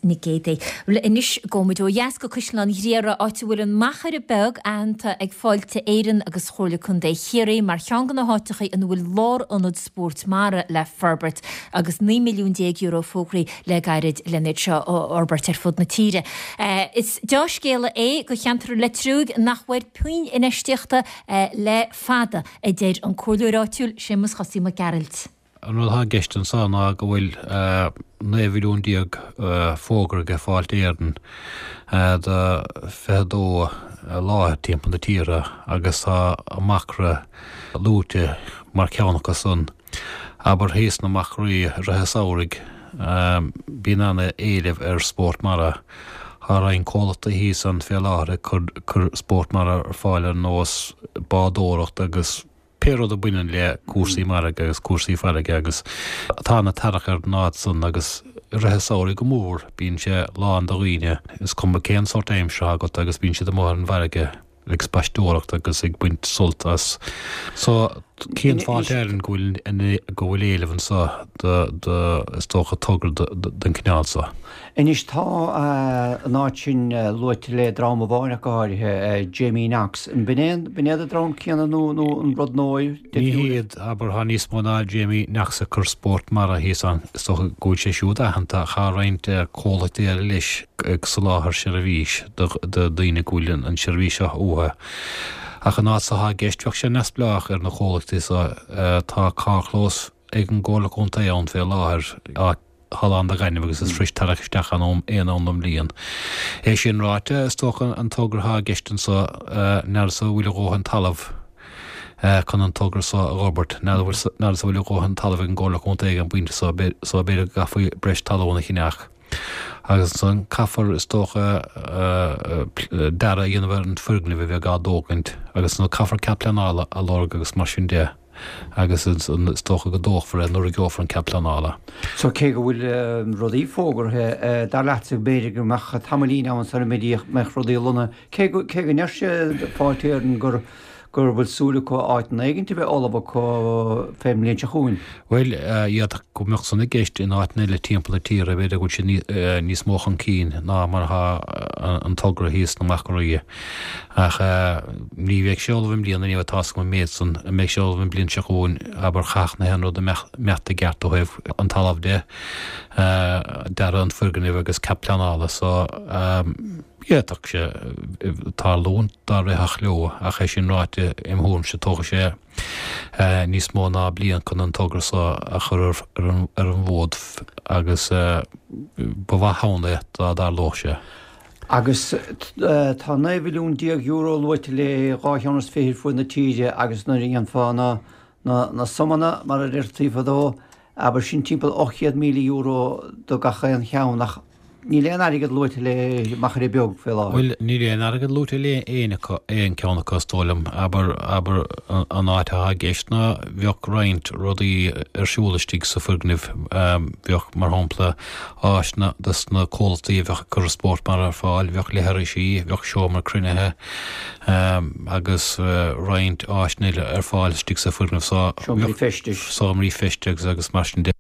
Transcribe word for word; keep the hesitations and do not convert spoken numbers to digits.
Nic Géadaigh. Anois gabhfaimid ó dheas go Caisleán Ghriaire áit a bhfuil an Machaire Beag aitheanta ag Fáilte Éireann agus Chomhairle Contae Chiarraí mar cheann de na háiteacha ina bhfuil lárionad spóirt mara le forbairt agus naoi milliún déag euro fógraithe le gairid lena seo a fhorbairt ar fud na tíre. Is dea-scéala é do cheantar Leitriúigh nach bhfuair puinn infheistíochta le fada, a deir an comhairleoir áitiúil Séamus Chosaí Mac Gearailt. An rud atá i gceist anseo ná go bhfuil naoi mhilliún déag fógraithe ag Fáilte Éireann do fiche a dó láthair timpeall na tíre agus tá an Machaire luaite mar cheann acu san. Abair thíos sna Machairí i rith an samhraidh bíonn an-éileamh ar spórt mara. Tá roinnt comhlachtaí thíos ann fé láthair ag cur spórt mara ar fáil ar nós bádóireacht agus pé rud a bhaineann le cúrsaí mara agus cúrsaí farraige agus tá an-tarrac ar an áit san agus i rith an samhraidh go mór bíonn sé lán de dhaoine, is cuma cén sórt aimsire atá agat agus bíonn siad amuigh ar an bhfarraige ag spaisteoireacht agus ag baint sult as. So cíonn Fáilte Éireann go bhfuil go bhfuil éileamh anseo do do is dócha togra den chineál seo. Anois tá an áit sin luaite le dream amháin ach go háirithe, Jamie Knox. An b'in é b'in iad an dream céanna nó nó an rud nua Ní hiad, abair, tá níos mó ná Jamie Knox ag cur spórt mara thíos ann. Is dócha go bhfuil sé siúd aitheanta ach tá roinnt comhlachtaí eile leis ag soláthar seirbhís do daoine go bhfuil an seirbhís seo uathu. Ach an áit seo atá i gceist bheadh sé neamhspleách ar na comhlachtaí seo. Tá carrchlós ag an gComhairle Contae ann fé láthair, áit atá lán de ghaineamh agus is fuirist tarrac isteach ann aon am den bhliain. É sin ráite, is dócha an togra atá i gceist anseo, n'fheadar an bhfuil a dhóthain talaimh chun an togra seo a fhorbairt, n'fheadar an bhfuil a dhóthain talaimh ag an gComhairle Contae ag an bpointe seo, so b'fhéidir go gcaithfí breis talún a cheannach. Agus ansan caithfear, is dócha, dearadh a dhéanamh ar an foirgneamh a bheidh á dtógaint agus nó caithfear cead pleanála a lorg agus mar sin de. Agus is dócha go dtógfar é nuair a gheofar an cead pleanála. So cé go bhfuil rudaí fógartha, dar leatsa b'fhéidir go mbeadh tamaillín ann sula mbeadh rudaí lonnaithe, cé go cé go ndeir siad, Fáilte Éireann, gur gur bhfuil súil acu áit éigint a bheith ullamh acu fén mbliain seo chugainn. Bhuel, d'fhéadfadh go mbeadh san i gceist in áiteanna eile timpeall na tíre, b'fhéidir go bhfuil siad níos mó chun cinn ná mar atá an togra thíos sna Machairí. Ach ní bheidh sé ullamh i mbliana, ní bheidh, tá's agam an méid san. An mbeidh sé ullamh an bhliain seo chugainn, abair, chaithfeadh na haon rud a imeacht i gceart ó thaobh an talaimh de, dearadh an foirgnimh agus cead pleanála. So, d'fhéadfadh sé tarlúint dá rithfeadh leo, ach é sin ráite, im thuairimse, tógfaidh sé níos mó ná bliain chun an togra so a chur ar an bhfód agus ba mhaith ann é dá dtarlódh sé. Agus tá naoi mhilliún déag euro luaite le dhá cheann is fiche ar fuaid na tíre agus nuair a dhéanfá na na sumanna, mar a deirtí fadó, abair sin timpeall ocht chéad míle euro do gach aon cheann ach níl aon airgead luaite le Machaire Beag fé láthair. Bhuel, níl aon airgead luaite le aon acu, aon ceann acu is dóigh liom. Abair, abair an áit atá i gceist ná bheadh roinnt rudaí ar siúl istigh sa foirgneamh, bheadh, mar shampla, áiseanna dos na comhlachtaí a bheadh ag cur spórt mara ar fáil, bheadh leithrisí, bheadh seomra cruinnithe agus roinnt áiseanna eile ar fáil istigh sa foirgneamh so. Seomraí feistis. Seomraí feistis agus mar sin de.